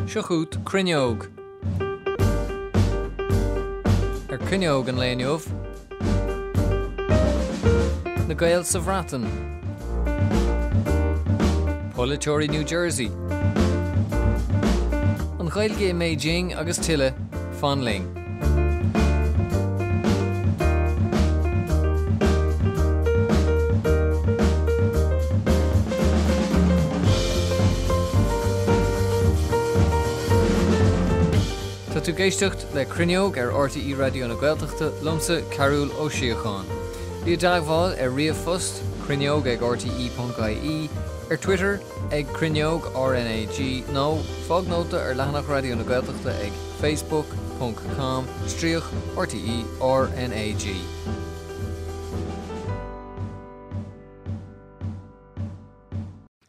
Seo chugat Cruinneog. Ar Cruinneog an lae inniu, Na Gaeil sa Bhreatain. Polaiteoirí New Jersey. An Ghaeilge i mBeijing agus tuilleadh, fan linn. Tá tú ag éisteacht le Cruinneog ar RTÉ Raidió na Gaeltachta liomsa, Cearbhall Ó Síocháin. Bí i dteagmháil ar ríomhphost, cruinneog ag rte.ie, ar Twitter ag Cruinneog RnaG nó fág nóta ar leathanach Raidió na Gaeltachta ag facebook ponc com stríoc RTÉ RnaG.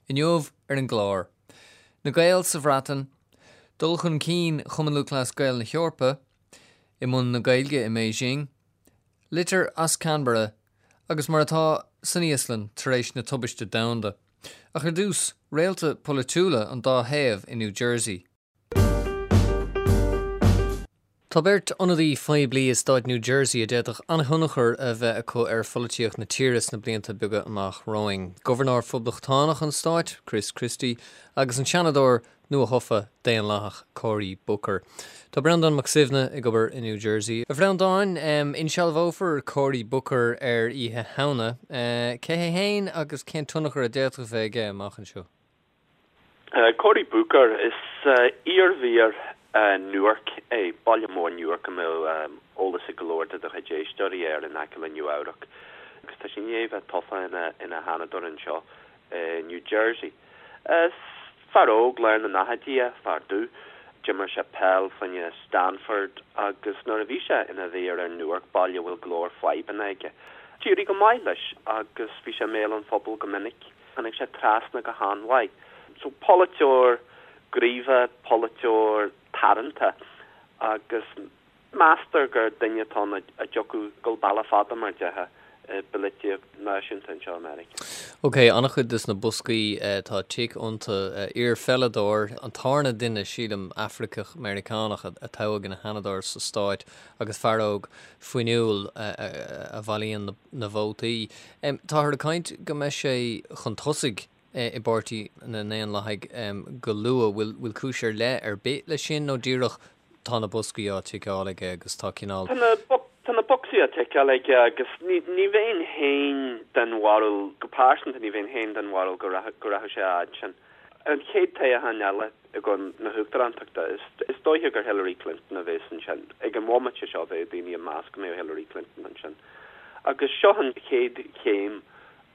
Inniu ar an gclár, Na Gaeil sa Bhreatain, dul chun cinn Chumann Lúthchleas Gael na hEorpa, i mbun na Gaeilge i mBeijing, litir as Canberra agus mar atá san Íoslainn tar éis na tubaiste domhanda. Ach ar dtús, réalta polaitiúla an dá thaobh i New Jersey. Tá beirt ionadaí phoiblí i stát New Jersey a d'fhéadfadh an-thionchar a bheith acu ar pholaitíocht na tíre sna blianta beaga amach romhainn, Gobharnóir Phoblachtánach an stáit, Chris Christie, agus an Seanadóir nuathofa Daonlathach, Cory Booker. Tá Breandán Mac Suibhne ag obair i New Jersey. A Bhreandáin, insealbhófar Cory Booker ar Oíche Shamhna. Cé hé féin agus cén tionchar a d'fhéadfadh a bheith aige amach anseo? Cory Booker, Is iar-mhéara Newark é, baile mór Newark a mbeadh eolas ag go leor de do chuid éisteoirí air in aice le Nua Eabhrac agus tá sé i ndiaidh bheith tofa ina ina sheanadóir anseo i New Jersey. Is fear óg lár na ndaichidí é, fear dubh. D'imir sé peil fá choinne Stanford agus nuair a bhí sé ina mhéara ar Newark, baile a bhfuil go leor fadhbanna aige, d'éirigh go maith leis agus bhí sé i mbéal an phobail go minic. Tháinig sé trasna go han-mhaith. So, polaiteoir gníomhach, polaiteoir tarraingteach agus meastar gur duine atá ann a dtiocfadh dul bealach fada mar déarfá i bpolaitíocht náisiúnta anseo i Meiriceá. Ok, an-chuid des na boscaí tá tic iontu. Iar-pheileadóir, an tarna duine, sílim, Afracach Meiriceánach a toghadh ina sheanadóir sa stáit agus fear óg fuinniúil a bhailíonn na vótaí. Táthar ag caint go mbeidh sé chun tosaigh i bPáirtí na nDaonlathaigh go luath. Bhfuil cúis ar leith ar bith leis sin nó díreach tá na boscaí á ticeáil aige agus tá cineál. Tá na bocsaí á ticeáil aige agus ní bheinn féin den bharúil, go pearsanta ní bheinn féin den bharúil go rachadh sé a fhad sin. An chéad toghchán eile i gcomhair na huachtarántachta, is dóiche gur Hillary Clinton a bheas ansin. Ag an bhomaite seo bheadh daoine ag meas go mbeadh Hillary Clinton ansin. Agus seo an chéad chéim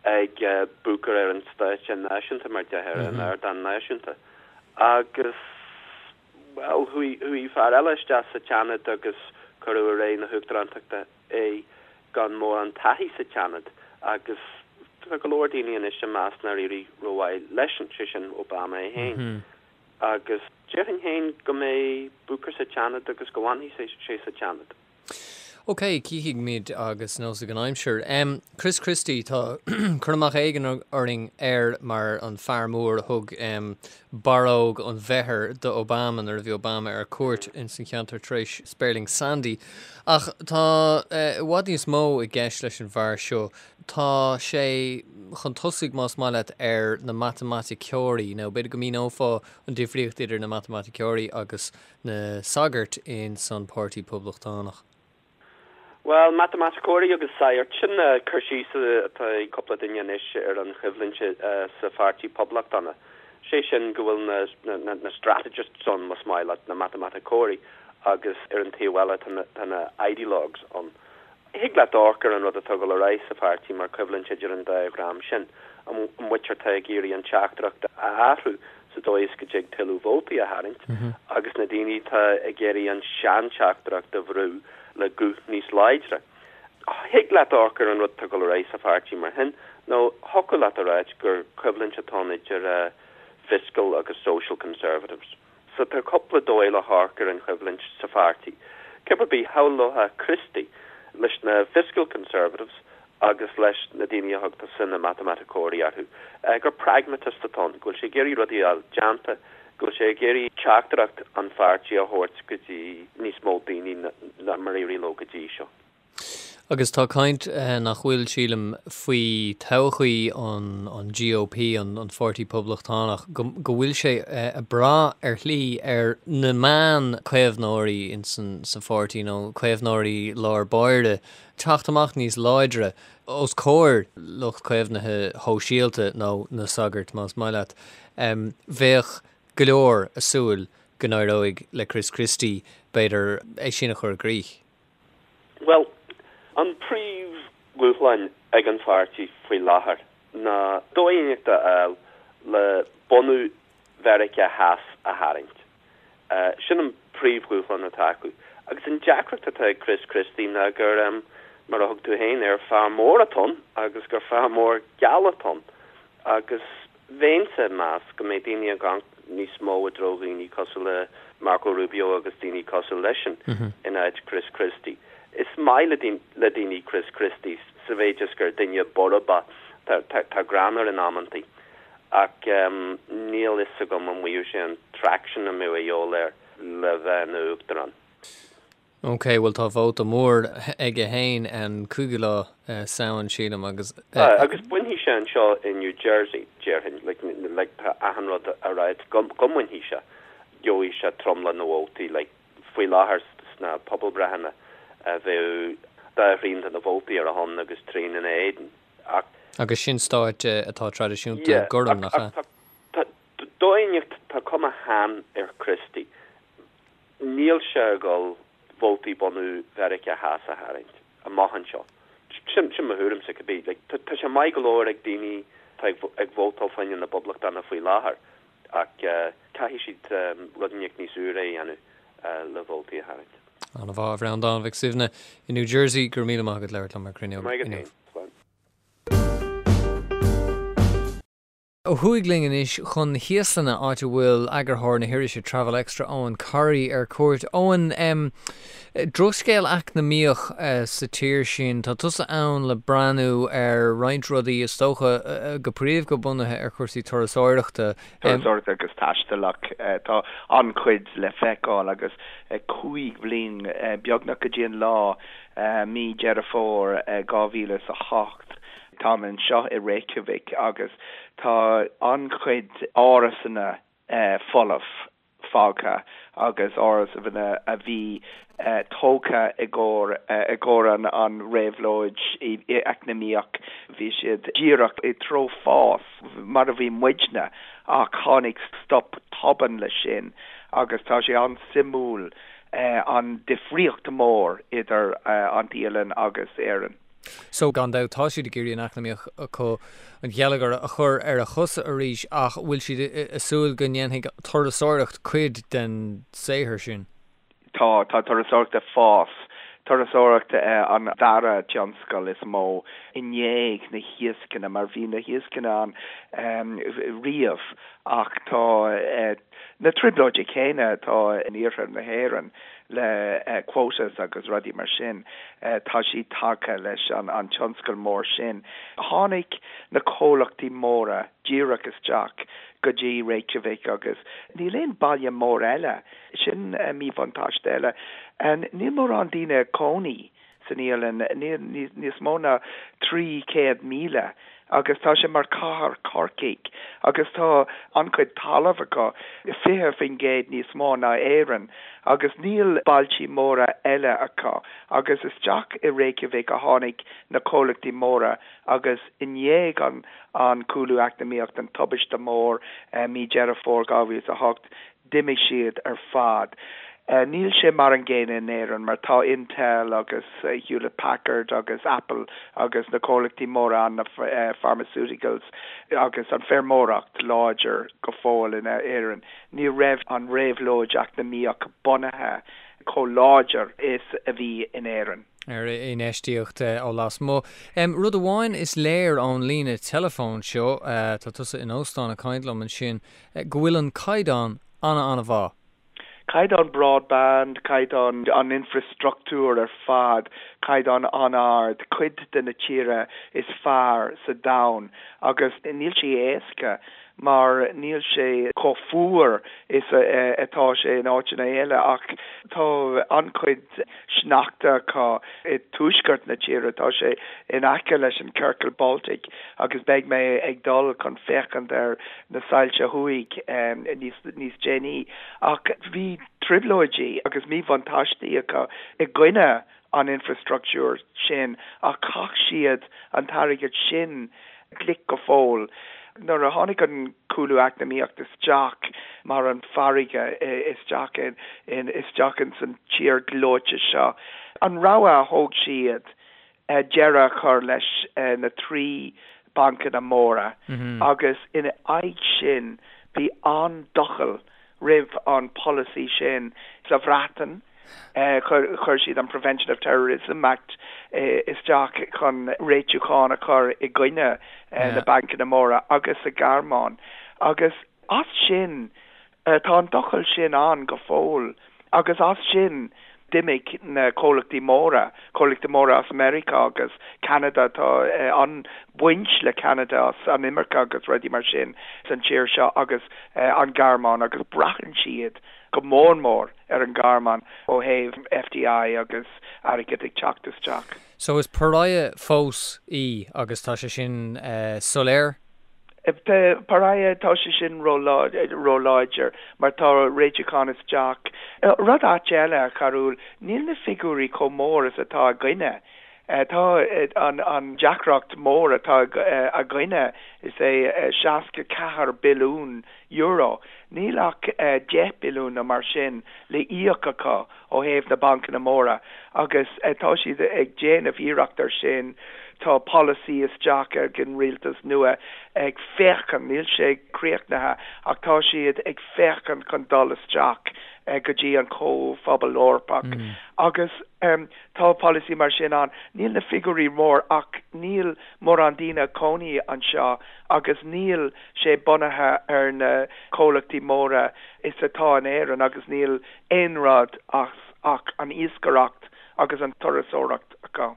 ag Booker ar an stáitse náisiúnta, mar déarfá, ar an ardán náisiúnta. Agus, bhuel, chuaigh fear eile isteach sa tSeanad agus cuireadh i rith na huachtarántachta é gan mórán taithí sa tSeanad agus tá go leor daoine anois ag meas nár éirigh rómhaith leisean, sé sin Obama é féin. Agus déarfainn féin go mbeidh Booker sa tSeanad agus go bhfanfaidh sé sa tSeanad. Ok, cífimid agus neosfaidh an aimsir. Chris Christie, tá cur amach éigin orainn air mar an fear mór a thug barróg an mheidhir do Obama nuair a bhí Obama ar cuairt ins an cheantar tar éis Spéirling Sandy. Ach tá i bhfad níos mó i gceist leis an bhfear seo. Tá sé chun tosaigh, más maith leat, ar na matamaiticeoirí, nó b'fhéidir go míneofá an difríocht idir na matamaiticeoirí agus na sagairt ins an Páirtí Poblachtánach. Bhuel, matamaiticeoirí agus sagairt, sin cur síos atá ag cúpla duine anois ar an choimhlint sa Pháirtí Poblachtánach. Sé sin go bhfuil na strategists ann, más maith leat, na matamaiticeoirí, agus ar an taobh eile tá na ideologues ann. Thig leat amharc ar an rud atá ag dul ar aghaidh sa pháirtí mar choimhlint idir an dá dhream sin, an mhuintir atá ag iarraidh an teachtaireacht a athrú sa dóigh is go dtig tuilleadh vótaí a tharraingt agus na daoine atá ag iarraidh an seanteachtaireacht a bhrú le guth níos láidre. Thig leat amharc ar an rud atá ag dul ar aghaidh sa pháirtí mar shin, nó thiocfadh leat a ráit gur coimhlint atá ann idir fiscal agus social conservatives. So tá cúpla dóigh le hamharc ar an choimhlint sa pháirtí. Cibé ar bith, shamhlófá Christie leis na fiscal conservatives agus leis na daoine a thug tusa na matamaiticeoirí orthu, gur pragmatist atá ann, go bhfuil sé ag iarraidh rudaí a fháil déanta. go bhfuil sé ag iarraidh teachtaireacht an pháirtí a thabhairt go dtí níos mó daoine ná mar a d'éirigh leo go dtí seo. Agus tá caint, nach bhfuil, sílim, faoi todhchaí an GOP, an Pháirtí Poblachtánach, go bhfuil sé ag brath ar shlí ar na meán-chaomhnóirí sa pháirtí, nó caomhnóirí lár báire, teacht amach níos láidre os comhair lucht caomhnaithe shóisialta, nó na sagairt, más maith leat. Bheadh go leor ag súil go n-éireoidh le Chris Christie, b'fhéidir, é sin a chur i gcrích. Bhuel, an príomhdhúshlán ag an pháirtí faoi láthair ná dóigh inteacht a fháil le bunadh Mheiriceá Theas a tharraingt. Sin an príomhdhúshlán atá acu. Agus an deacracht atá ag Chris Christie ná gur, mar a thug tú féin air, fear mór atá ann agus gur fear mór geal atá ann. Agus Bheinnse ag meas go mbeidh daoine ag amharc níos mó i dtreo dhaoine cosúil le Marco Rubio agus daoine cosúil leisean in áit Chris Christie. Is maith le daoine Chris Christie sa mhéid is gur duine borb é, tá greann air in amantaí, ach níl fhios agam an bhfaigheadh sé an traction a mbeadh a dhíobháil air le bheith ina uachtarán. Ok, bhuel tá vóta mór aige fhéin an 5ú lá Samhain sílim agus. Tá, agus bainfidh sé anseo i New Jersey, déarfainn, like, like tá achan rud a ráit go go mbainfidh sé, gheobhaidh sé tromlach na vótaí, like, faoi láthair sna pobalbhreitheanna bheadh dhá thrian de na vótaí ar a shon agus trian ina éadan, ach. Agus sin stáit atá traidisiúnta Yeah, gorm, nach ach ea? tá, tá, dóigh inteacht, tá cuma shean ar Christie. Níl sé ag dul vótaí bunadh Mheiriceá Theas a tharraingt amach anseo. Sin mo thuairimse, cibé. Tá sé maith go leor ag daoine atá ag vótáil fá choinne na bPoblachtánach faoi láthair ach caithfidh siad rud inteacht níos úire a dhéanamh le vótaí a tharraingt. An-mhaith, a Bhreandáin Mhic Suibhne i New Jersey, go raibh míle maith agat labhairt liom ar Cruinneog Maith agat inniu. féin. Slán. Ó thuaidh linn anois chun na hÍoslainne, áit a bhfuil eagarthóir na hirise Travel Extra, Eoin Corry, ar cuairt. Eoin, drochscéal eacnamaíoch sa tír sin. Tá tusa ann le breathnú ar roinnt rudaí, is dócha, go príomha bunaithe ar chúrsaí turasóireachta. Turasóireachta agus taistil ach tá an-chuid le feiceáil agus 5 bhliain beagnach go dtí an lá, mí Deireadh Fómhair 2008, Táim anseo i Reykjavik agus tá an-chuid árasanna folamh fágtha agus árasanna a bhí tógtha i gcomhair i gcomhair an réabhlóid eacnamaíoch, bhí siad díreach i dtreo fás mar a bhí muidne ach tháinig stop tobann leis sin agus tá sé an-suimiúil an difríocht mór idir an tÍoslainn agus Éirinn. So, gan dabht, tá siad ag iarraidh an eacnamaíocht acu, an geilleagar a chur ar a chosa arís ach bhfuil siad ag súil go ndéanfaidh turasóireacht cuid den saothar sin? Tá, tá turasóireacht ag fás. Turasóireacht an dara tionscal is mó i ndiaidh na hiascanna mar bhí na hiascanna ann riamh ach tá na trioblóidí céanna atá in iarthar na hÉireann le quotas agus rudaí mar sin, tá siad tagtha leis an tionscal mór sin. Tháinig na comhlachtaí móra díreach isteach go dtí Reykjavik agus níl aon baile mór eile, sin míbhuntáiste eile, níl mórán daoine ag cónaí san Íoslainn, níl níos mó ná 300,000 agus tá sé mar cathair Corcaigh agus tá an-chuid talamh acu, 20% níos mó ná Éirinn agus níl bailtí móra eile acu agus isteach i Reykjavik a tháinig na comhlachtaí móra agus i ndiaidh an cúlú eacnamaíocht, an tubaiste mór mí Deireadh Fómhair 2008, D'imigh siad ar fad. Níl sé mar an gcéanna in Éirinn mar tá Intel agus Hewlett Packard agus Apple agus na comhlachtaí móra ann, na pharmaceuticals agus an feirmeoireacht láidir go fóill in Éirinn. Ní raibh an réabhlóid eacnamaíoch bunaithe chomh láidir is a bhí in Éirinn. ar infheistíocht ó lasmuigh. Rud amháin is léir ón líne teileafóin seo, tá tusa in óstán ag caint liom ansin, go bhfuil an caighdeán ana-ana-mhaith. Caighdeán broadband, caighdeán an infreastruchtúr ar fad, caighdeán an-ard, cuid de na tíre is fearr sa domhan agus níl sé éasca. mar níl sé chomh fuar is atá sé in áiteanna eile ach tá an-chuid sneachta acu i tuaisceart na tíre, tá sé in aice leis an Ciorcal Baltic agus beidh mé ag dul chun féachaint ar na soilse thuaidh níos déanaí. Ach bhí trioblóidí agus míbhuntáistí acu i gcoinne an infreastruchtúir sin ach chaith siad an t-airgead sin glic go fóill. Nuair a tháinig an cúlú eacnamaíocht isteach mar an farraige isteach in isteach ins an tír gleoite seo, an rogha a thóg siad deireadh a chur leis na 3 bancanna móra agus ina aghaidh sin bhí an-doicheall roimh an polasaí sin sa Bhreatain. Chuir siad an Prevention of Terrorism Act isteach chun réitiúchán a chur i gcoinne na bancanna móra agus sa Ghearmáin agus as sin tá an doicheall sin ann go fóill agus as sin d'imigh na comhlachtaí móra, comhlachtaí móra as Meiriceá agus Ceanada, tá an-bhaint le Ceanada as an imirce agus rudaí mar sin san tír seo agus an Ghearmáin agus braitheann siad go mór mór ar an nGearmáin ó thaobh FDI agus airgead ag teacht isteach. So is pariah fós í agus tá sé sin soiléir? Pariah, tá sé sin ró-láidir mar tá réitiúchán isteach. Rud ait eile, a Charúil, níl na figiúirí chomh mór is atá againne. Tá an deacracht mór atá againne, is é 64 billiún euro. Níl ach 10 billiún nó mar sin le íoc acu ó thaobh na bancanna móra agus tá siad ag déanamh iarracht ar sin. Tá polasaí isteach ag an rialtas nua ag féachaint, níl sé críochnaithe ach tá siad ag féachaint chun dul isteach go dtí an Comhphobal Eorpach agus tá polasaí mar sin ann. Níl na figiúirí mór ach níl mórán daoine ag cónaí anseo agus níl sé bunaithe ar na comhlachtaí móra is atá in Éirinn agus níl aon rud as ach an iascaireacht agus an turasóireacht acu.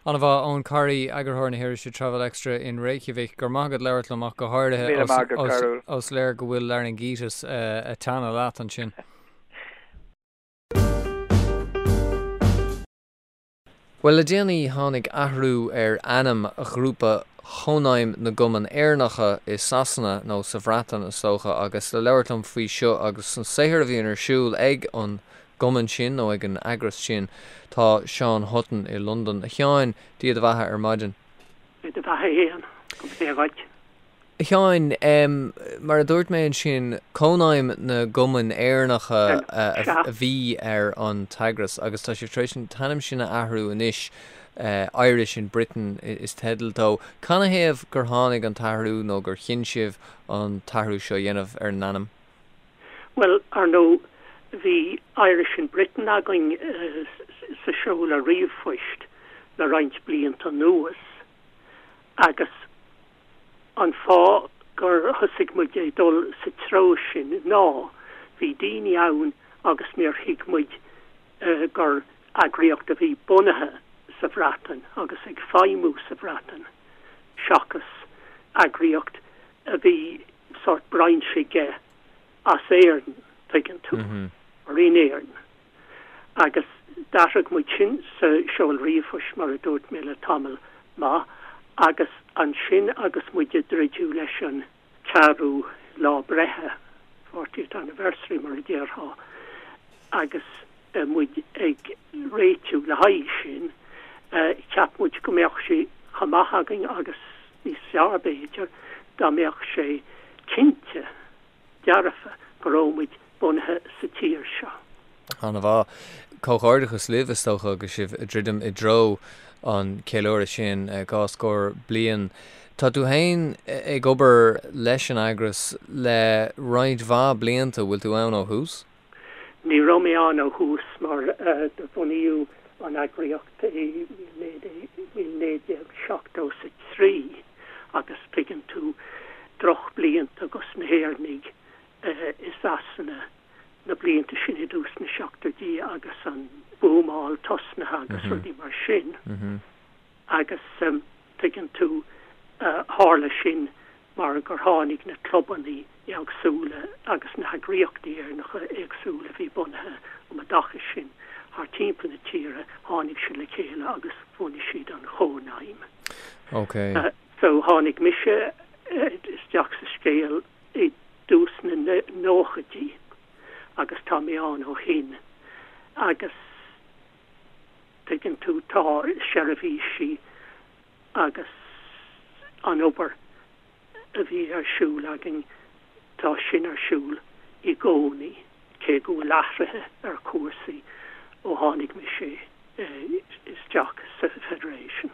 An-mhaith, Eoin Corry, eagarthóir na hirise Travel Extra in Reykjavik. Go raibh maith agat labhairt liom ach go háirithe ós léir go bhfuil laryngitis ag teannadh leat ansin. Bhuel, le déanaí tháinig athrú ar ainm ghrúpa Chónaidhm na gCumann Éireannacha i Sasana, nó sa Bhreatain is dócha, agus le labhairt liom faoi seo agus an saothar a bhíonn ar siúl ag an gcumann sin, nó ag an eagras sin, tá Seán Hutton i Londain. A Sheáin, Dia do bheatha ar maidin. Dia do bheatha fhéin, go mba dhuit. A Sheáin, mar a dúirt mé ansin, Cónaidhm na gCumann Éireannacha a bhí ar an t-eagras agus tá sibh tar éis an t-ainm sin a athrú anois, Irish in Britain is teideal dó. Canathaobh gur tháinig an t-athrú nó gur chinn sibh an t-athrú seo a dhéanamh ar an ainm? Bhuel, ar ndóigh, bhí Irish in Britain againn sa seoladh ríomhphoist le roinnt blianta anuas agus, An fáth gur thosaigh muid ag dul sa treo sin ná bhí daoine ann agus níor thuig muid gur eagraíocht a bhí bunaithe sa Bhreatain agus ag feidhmiú sa Bhreatain seachas eagraíocht a bhí sórt brainse aige as Éirinn, tuigeann tú, or in Éirinn. Agus d'athraigh muid sin sa seoladh ríomhphoist, mar a dúirt mé, le tamall maith, agus ansin agus muid ag druidiú leis an ceathrú lá breithe, fortieth anniversary mar a déarfá, agus muid ag réitiú le haghaidh sin, cheap muid go mbeadh sé chomh maith againn agus níos fearr b'fhéidir, dá mbeadh sé cinnte dearfa go raibh muid bunaithe sa tír seo. An-mhaith. Comhghairdeachas libh, is dócha, agus sibh ag druidim i dtreo an cheiliúradh sin, 2 scór bliain. Tá tú féin ag obair leis an eagras le roinnt mhaith blianta, bhfuil tú ann ó thús? Ní raibh mé ann ó thús mar do bunaíodh an eagraíocht i 1973 agus tuigeann tú, drochblianta dos na hÉireannaigh i Sasana na blianta sin i dtús na seachtóidí agus an bhuamáil tosnaithe agus rudaí mar sin agus tuigeann tú, tharla sin. mar gur tháinig na clubanna éagsúla agus na heagraíochtaí Éireannacha éagsúla a bhí bunaithe um an dtaca sin thar timpeall na tíre, tháinig siad le chéile agus bhunaigh siad an Chónaidhm. Ok. So tháinig mise isteach sa scéal i dtús na nóchaidí agus tá mé ann ó shin agus tuigeann tú tá seirbhísí agus an obair a bhí ar siúl againn, tá sin ar siúl i gcónaí, cé go bhfuil athruithe ar chúrsaí ó tháinig mise isteach sa Federation.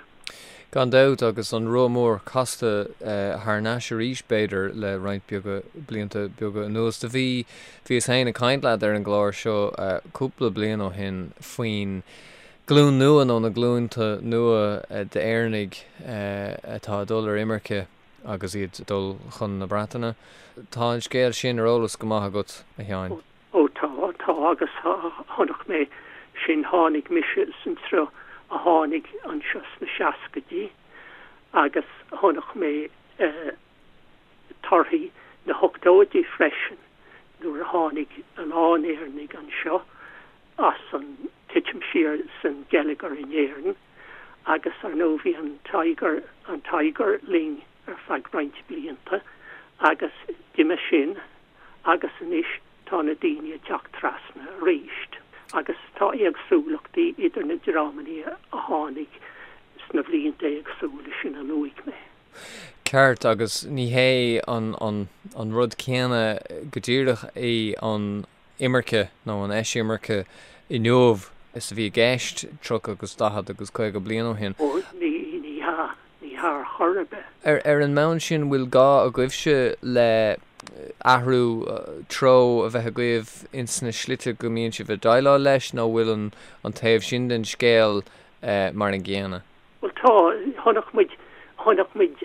Gan dabht, agus an roth mór casta thar n-ais arís, b'fhéidir, le roinnt beaga blianta beaga anuas. Do bhí, bhíos féin ag caint leat ar an gclár seo cúpla bliain ó shin faoin glúin nua nó na glúnta nua d'Éireannaigh atá ag dul ar imirce agus iad ag dul chun na Breataine. Tá an scéal sin ar eolas go maith agat, a Sheáin. Ó tá, tá agus chonaic mé sin, tháinig mise san sruth a tháinig anseo sna seascaidí agus chonaic mé torthaí na hochtóidí freisin nuair a tháinig a lán Éireannaigh anseo as an titim siar san geilleagar in Éirinn agus ar ndóigh bhí an Tiger, an Tiger linn ar feadh roinnt blianta agus d'imigh sin agus anois tá na daoine ag teacht trasna arís agus tá éagsúlachtaí idir na dreamanna a tháinig sna bhlianta éagsúla sin a luaigh mé. Ceart, agus ní hé an, an, an rud céanna go díreach é an imirce nó an eisimirce inniu is a bhí i gceist 30 agus 40 agus 50 bliain ó shin. Ó, ní, ní hea, ní hea ar chor ar bith. Ar, ar an mbonn sin, bhfuil gá agaibhse le athrú treo a bheith agaibh ins na slite go mbíonn sibh ag déileáil leis nó bhfuil an, an taobh sin den scéal mar an gcéanna? Bhuel tá, chonaic muid, chonaic muid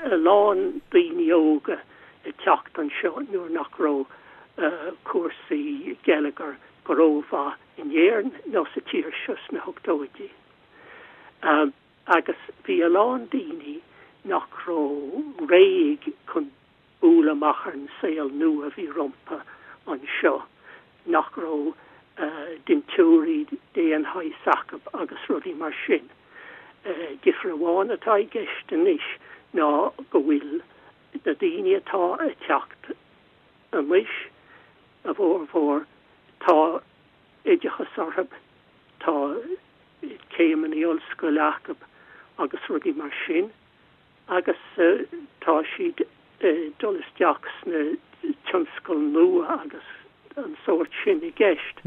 a lán daoine óga ag teacht anseo nuair nach raibh cúrsaí geilleagair go rómhaith in Éirinn nó sa tír seo sna hochtóidí. Agus bhí a lán daoine nach raibh réidh chun bualadh amach ar an saol nua a bhí rompu anseo, nach raibh dintiúirí d'aon shaghas acu agus rudaí mar sin. Difear amháin atá i gceist anois ná go bhfuil na daoine atá ag teacht anois, a bhformhór, tá oideachas orthu, tá céimeanna ollscoile acu agus rudaí mar sin. agus tá siad ag dul isteach sna tionscail nua agus an sórt sin i gceist.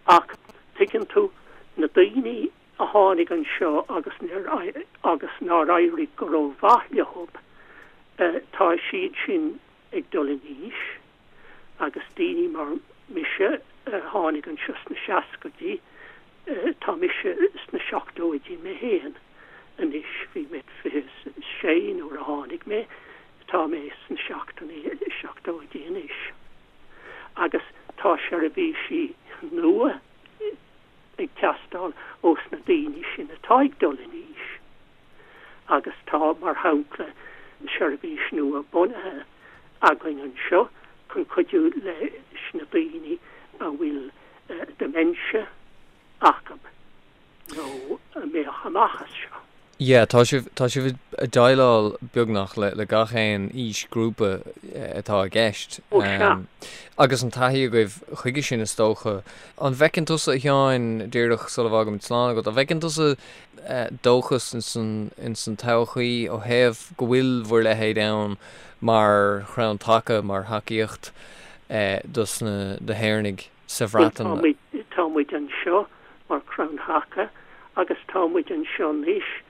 Ach tuigeann tú, na daoine a tháinig anseo agus agus nár éirigh go rómhaith leo, tá siad sin ag dul in aois agus daoine mar mise a tháinig anseo sna seascaidí, tá mise sna seachtóidí mé féin anois, bhí mé 26 nuair a tháinig mé, tá mé sna seachtóidí anois. Agus tá seirbhísí nua ag teastáil ós na daoine sin atá ag dul in aois. Agus tá, mar shampla, seirbhís nua bunaithe againn anseo chun cuidiú leis na daoine a bhfuil dementia acu nó a mbeadh amach as seo. Yeah, tá sibh, tá sibh ag déileáil beagnach le, le gach aon aoisghrúpa atá i gceist. Ó sea. Agus an taithí agaibh chuige sin is dócha. An bhfeiceann tusa, a Sheáin, díreach sula bhfágaimid slán agat, an bhfeiceann tusa dóchas ins an, ins an todhchaí ó thaobh go bhfuil bhur leithéid ann mar chrann taca, mar thacaíocht dos na, do hÉireannaigh sa Bhreatain? Bhuel, tá muid, tá muid anseo mar chrann taca agus tá muid anseo anois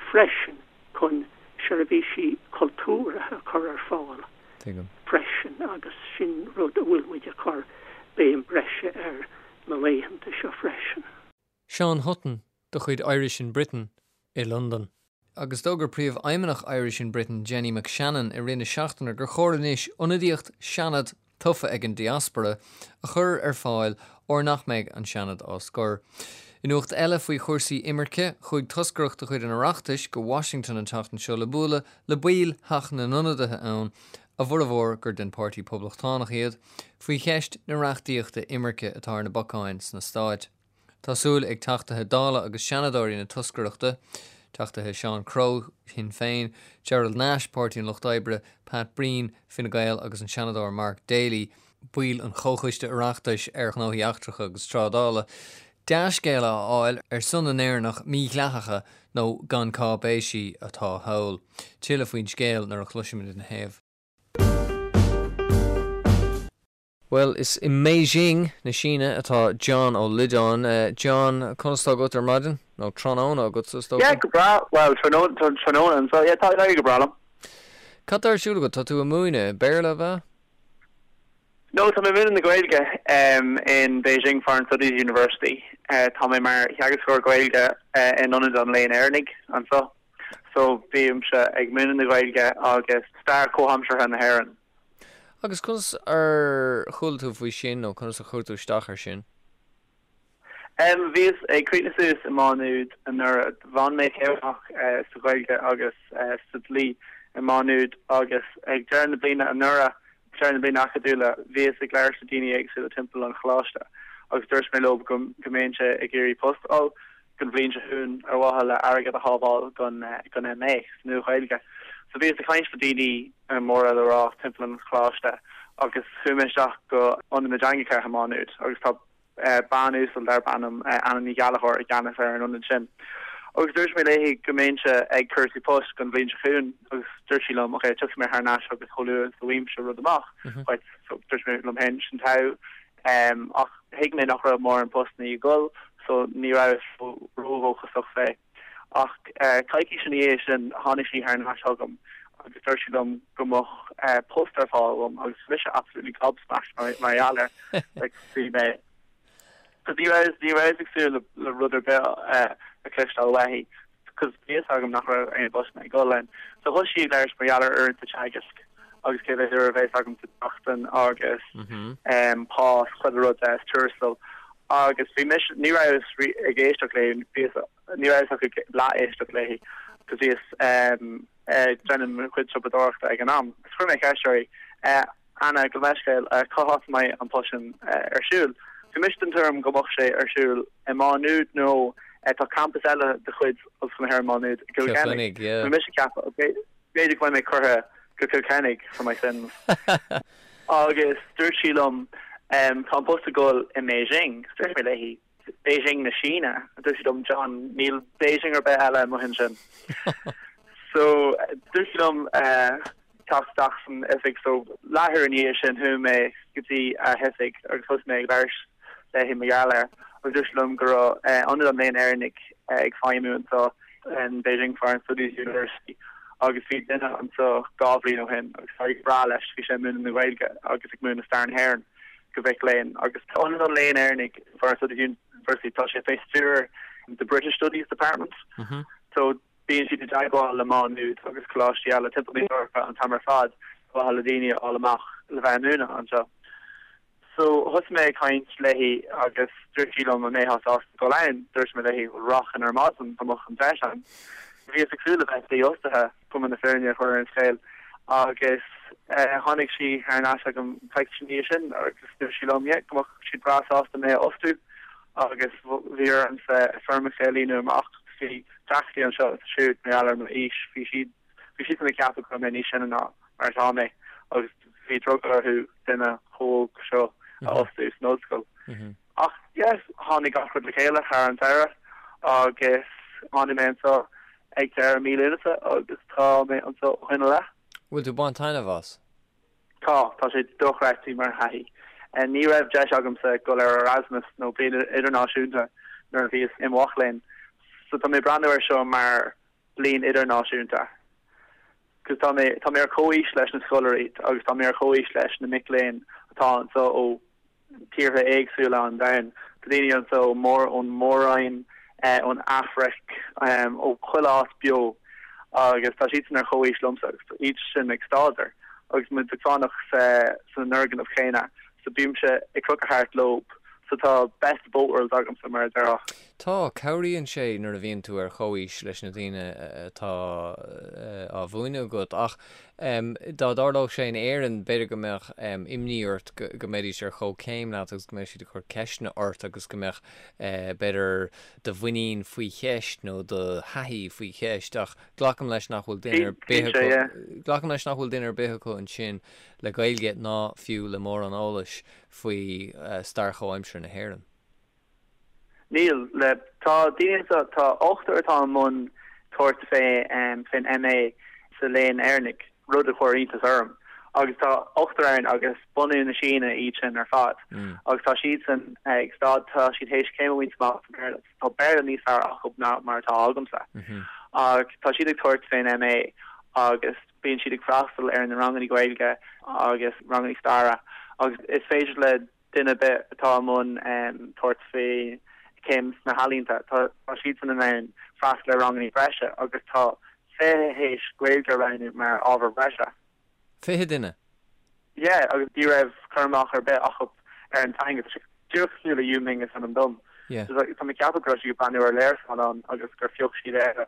freisin chun seirbhísí cultúrtha a chur ar fáil Tuigim. freisin agus sin rud a bhfuil muid ag cur béim breise air na laethanta seo freisin. Seán Hutton de chuid Irish in Britain i Londain. Agus d'fhógair Príomhfheidhmeannach Irish in Britain Jenny McShannon i rith na seachtaine gur chóir anois ionadaíocht Seanad tofa ag an diaspora a chur ar fáil óir nach mbeidh an Seanad á scor. I nuacht eile faoi chúrsaí imirce, chuaigh toscaireacht de chuid an Oireachtais go Washington an tseachtain seo le bualadh le baill Theach na nIonadaithe ann, a bhformhór gur den Páirtí Poblachtánach iad, faoi cheist na reachtaíochta imirce atá ar na bacáin sna Stáit. Tá súil ag Teachtaithe Dála agus Seanadóirí na toscaireachta, Teachtaithe Seán Crowe, Sinn Féin, Gerald Nash, Páirtí an Lucht Oibre, Pat Breen, Fine Gael agus an Seanadóir Mark Daly, baill an Chomhchoiste Oireachtais ar Ghnóthaí Eachtracha agus Trádála, dea-scéala a fháil ar son na nÉireannach mídhleathacha nó gan cáipéisí atá thall. Tuilleadh faoin scéal nuair a chloisfimid ina thaobh. Bhuel, is i mBeijing na Síne atá John Ó Loideáin. John, conas tá agat ar maidin? Nó tráthnóna agatsa, is dócha? Yeah, go breá. Bhuel, tráthnóna, tráthnóna anseo. Yeah, tá ag éirí go breá liom. Cad tá ar siúl agat? Tá tú ag múineadh Béarla, ab ea? No, tá mé ag múineadh na Gaeilge in Beijing Foreign Studies University. Tá mé mar theagascóir Gaeilge in Ionad an Léinn Éireannaigh anseo. So, bímse ag múineadh na Gaeilge agus stair chomhaimseartha na hÉireann. Agus conas ar chuala tú faoi sin nó conas a chuir tú isteach air sin? Bhíos ag críochnú suas i Má Nuad anuraidh. Bhain mé céim amach sa Ghaeilge agus sa dlí i Má Nuad agus ag deireadh na bliana anuraidh, deireadh na bliana acadúla, bhíos ag labhairt le daoine éagsúla timpeall an choláiste agus dúirt mé leo go mbeinnse ag iarraidh post a fháil don bhliain seo chugainn ar mhaithe le airgead a shábháil don don MA sa Nua-Ghaeilge. So bhíos ag caint le daoine móra le rá timpeall an choláiste agus chuaigh mé isteach go Ionad na dTeangacha i Má Nuad agus tá bean uasal darb ainm Anna Ní Ghallchóir i gceannas ar an ionad sin. Agus dúirt mé léi go mbeinnse ag cuartú poist don bhliain seo chugainn agus dúirt sí liom, ok, tiocfaidh mé thar n-ais chugat chomh luath is a bhfaighimse rud amach dhuit. So dúirt mé liom féin, sin togha. Ach thuig mé nach raibh mórán postanna ag dul so ní rabhas ródhóchasach fé. Ach coicís ina dhiaidh sin tháinig sí thar n-ais chugam agus dúirt sí liom go mbeadh post ar fáil agam agus bhí mise absolutely gobsmacked mar gheall air. Like bhí mé cos ní rabhas ní rabhas ag súil le rud ar bith a chloisteáil uaithi cos bhí fhios agam nach raibh aon phostanna ag dul ann. So thosaigh sí ag labhairt mar gheall ar uaireanta teagaisc agus cé mhéad uair a bheas agam sa tseachtain agus pá is chuile rud is tuarastal. Agus bhí mise, ní rabhas ag éisteacht léi, bhíos, ní rabhas ach ag leath-éisteacht léi, cos bhíos ag déanamh mo chuid siopadóireachta ag an am. Agus chuir mé ceist uirthi, Anna, gabh mo leithscéal, cá háit a mbeidh an post sin ar siúl? Bhí mise den tuairim go mbeadh sé ar siúl i Má Nuad nó tá campas eile de chuid Ollscoil na hÉireann Má Nuad i gCill Chainnigh. Bhí mise ag ceapadh, ok, b'fhéidir go mbeidh mé curtha go Cill Chainnigh for my sins. Agus dúirt sí liom, Tá an post ag dul i mBeijing. Dúirt mé léi, Beijing na Síne? Dúirt sí liom, John, níl Beijing ar bith eile amuigh ansin. So, dúirt sí liom teacht isteach san oifig. So, leathuair i ndiaidh sin chuaigh mé go dtí a hoifig agus thosaigh mé ag labhairt léi mar gheall air agus dúirt sí liom go raibh Ionad an Léinn Éireannaigh ag feidhmiú anseo in Beijing Foreign Studies University agus bhí duine anseo 2 bhliain ó shin agus d'éirigh go breá leis, bhí sé ag múineadh na Gaeilge agus ag múineadh stair na hÉireann go mhic léinn agus Ionad an Léinn Éireannaigh Foreign Studies University tá sé fé stiúir the British Studies Department so bíonn siad i dteagmháil le Má Nuad agus coláistí eile timpeall na hEorpa an t-am ar fad ar mhaithe le daoine a fháil amach le bheith ag múineadh anseo. So, thosaigh mé ag caint léi agus dúirt sí liom an mbeifeá sásta dul ann. Dúirt mé léi, bhuel, rachainn ar maidin dá mbeadh an deis ann. Bhíos ag súil le bheith dífhostaithe, cuma na fírinne a chur ar an scéal, agus tháinig sí thar n-ais agam coicís ina dhiaidh sin agus dúirt sí liom, yeah, go mbeadh siad breá sásta mé a fhostú agus bhí ormsa foirmeacha a líonadh amach. Bhí deacrachtaí anseo is ansiúd mar gheall ar m'aois, bhí siad Bhí siadsan ag ceapadh go raibh mé níos sine ná mar atá mé agus bhí drogall orthu duine chomh hóg seo a fhostú san ollscoil. Ach yes, tháinig gach rud le chéile thar an samhradh agus tháinig mé anseo ag deireadh mí Lúnasa agus tá mé anseo ó shin i leith. Bhfuil tú ag baint taitneamh as? Tá, tá sé dochreidte mar thaithí. Ní raibh deis agamsa dul ar Erasmus nó bliain idirnáisiúnta nuair a bhíos i mo mhac léinn, so tá mé ag breathnú air seo mar bliain idirnáisiúnta. Cos tá mé, tá mé ar comhaois leis na scoláirí agus tá mé ar comhaois leis na mic léinn atá anseo ó tíortha éagsúla an domhain. Tá daoine anseo ó mór, ón Mór-Roinn, ón Afraic, ó chuile áit beo agus tá siadsan ar comhaois liomsa agus tá iad sin ag staidéar agus muid ag fanacht sa, san fhoirgneamh chéanna. So bímse ag crochadh thart leob. So tá best of both worlds agamsa, mar a déarfá. Tá, cabhraíonn sé nuair a bhíonn tú ar chomhaois leis na daoine atá á mhúineadh agat. Ach dá dtarlódh sé in Éirinn, b'fhéidir go mbeadh imní ort go mbeidís ar chomhchéim leat agus go mbeadh siad ag cur ceisteanna ort agus go mbeadh, b'fhéidir, do mhuinín faoi cheist nó do thaithí faoi cheist. Ach glacaim leis nach bhfuil duine ar bith acu, glacaim leis nach bhfuil duine ar bith acu ansin le Gaeilge ná fiú le mórán eolais faoi stair chomhaimseartha na hÉireann. Níl. Le, tá daoine anseo, tá ochtar atá i mbun tabhairt fé, fén MA sa Léann Éireannach, rud a chuir iontas orm. Agus tá ochtar ann agus bunadh na Síne iad sin ar fad. Agus tá siadsan ag stad, tá siad théis céim a bhaint amach sa Bhéarla. Tá Béarla níos fearr acu ná mar atá agamsa. Ach tá siad ag tabhairt fén MA agus bíonn siad ag freastal ar na ranganna Gaeilge agus ranganna staire agus is féidir le duine ar bith atá i mbun tabhairt faoi chéim sna healaíonta, tá siadsan in ann freastal ar ranganna breise agus tá 20 théis Gaeilge a roghnú mar ábhar breise. 20 duine? Yeah, agus ní raibh cur amach ar bith acu ar an teanga. Tá sé díreach cosúil le Yu Ming is ainm dom. Yeah. Tá mé ag ceapadh go raibh siad ag breathnú ar léarscáil agus gur phioc siad Éire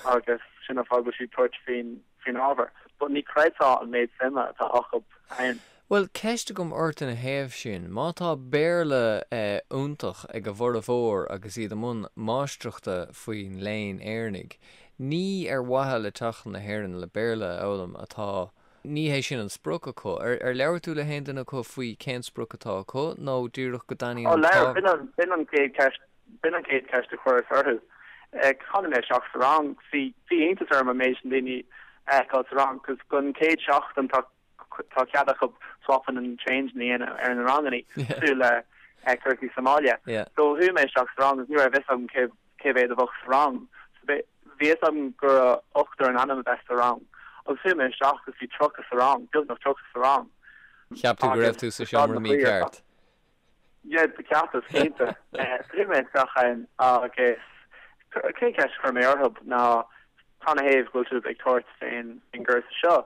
agus sin an fáth go bhfuil siad ag tabhairt faoin faoin ábhar. But ní chreidfeá an méid suime atá acu ann. Bhuel, ceist agam ort ina thaobh sin. Má tá Béarla iontach ag a bhformhór agus iad i mbun máistreachta faoin Léann Éireannaigh, ní ar mhaithe le teacht chun na hÉireann le Béarla a fhoghlaim atá, ní hé sin an sprioc acu. Ar labhair tú le haon duine acu faoi cén sprioc atá acu nó díreach go dtaitníonn an t-ábhar? Ó labhair, b'in an, b'in an chéad cheist, b'in an chéad cheist a chuireas orthu. Tháinig mé isteach sa rang, bhí, bhí iontas orm an méid sin daoine a fheiceáil sa rang, 'cause don chéad seachtain tá tá cead acu swapping and changing a dhéanamh ar na ranganna cosúil le cúrsaí sa mbaile. So chuaigh mé isteach sa rang agus ní raibh fhios agam cé cé mhéad a bheadh sa rang. So bhí fhios agam go raibh ochtar in ainm a bheith sa rang. Agus chuaigh mé isteach agus bhí 30 sa rang, beagnach 30 sa rang. Cheap tú go raibh tú sa seomra mícheart? Yeah, do cheapas, cinnte. Chuaigh mé isteach ann agus cén cheist a chuir mé orthu ná canathaobh go bhfuil sibh ag tabhairt fén gcúrsa seo?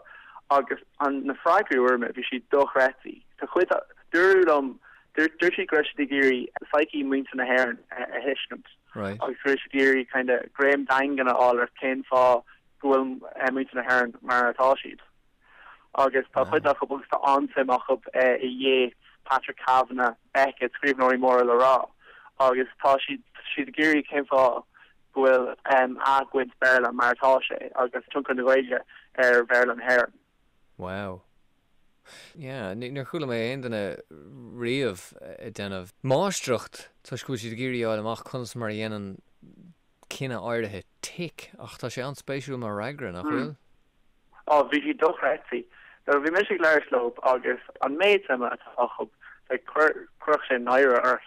Agus an na freagraí a fuair mé, bhí siad dochreidte. Tá cuid, dúradh liom, dúirt siad go raibh siad ag iarraidh psyche muintir na hÉireann a thuiscint. Right. Agus go raibh siad ag iarraidh kind of greim daingean a fháil ar cén fáth go bhfuil muintir na hÉireann mar atá siad. Agus tá cuid acu agus tá an-suim acu i Yeats, Patrick Kavanagh, Beckett, scríbhneoirí móra le rá, agus tá siad siad ag iarraidh cén fáth go bhfuil a gcuid Béarla mar atá sé agus tionchar na Gaeilge ar Bhéarla na hÉireann. Wow. Yeah, níor chuala mé aon duine riamh ag déanamh máistreacht toisc go bhfuil siad ag iarraidh a fháil amach conas mar a dhéanann cine áirithe tic, ach tá sé an-spéisiúil mar fhreagra, nach bhfuil? Á, bhí siad dochreidte. Nuair a bhí mise ag labhairt leo agus an méid suime atá acu, like, chuir, chuirfeadh sé náire ort.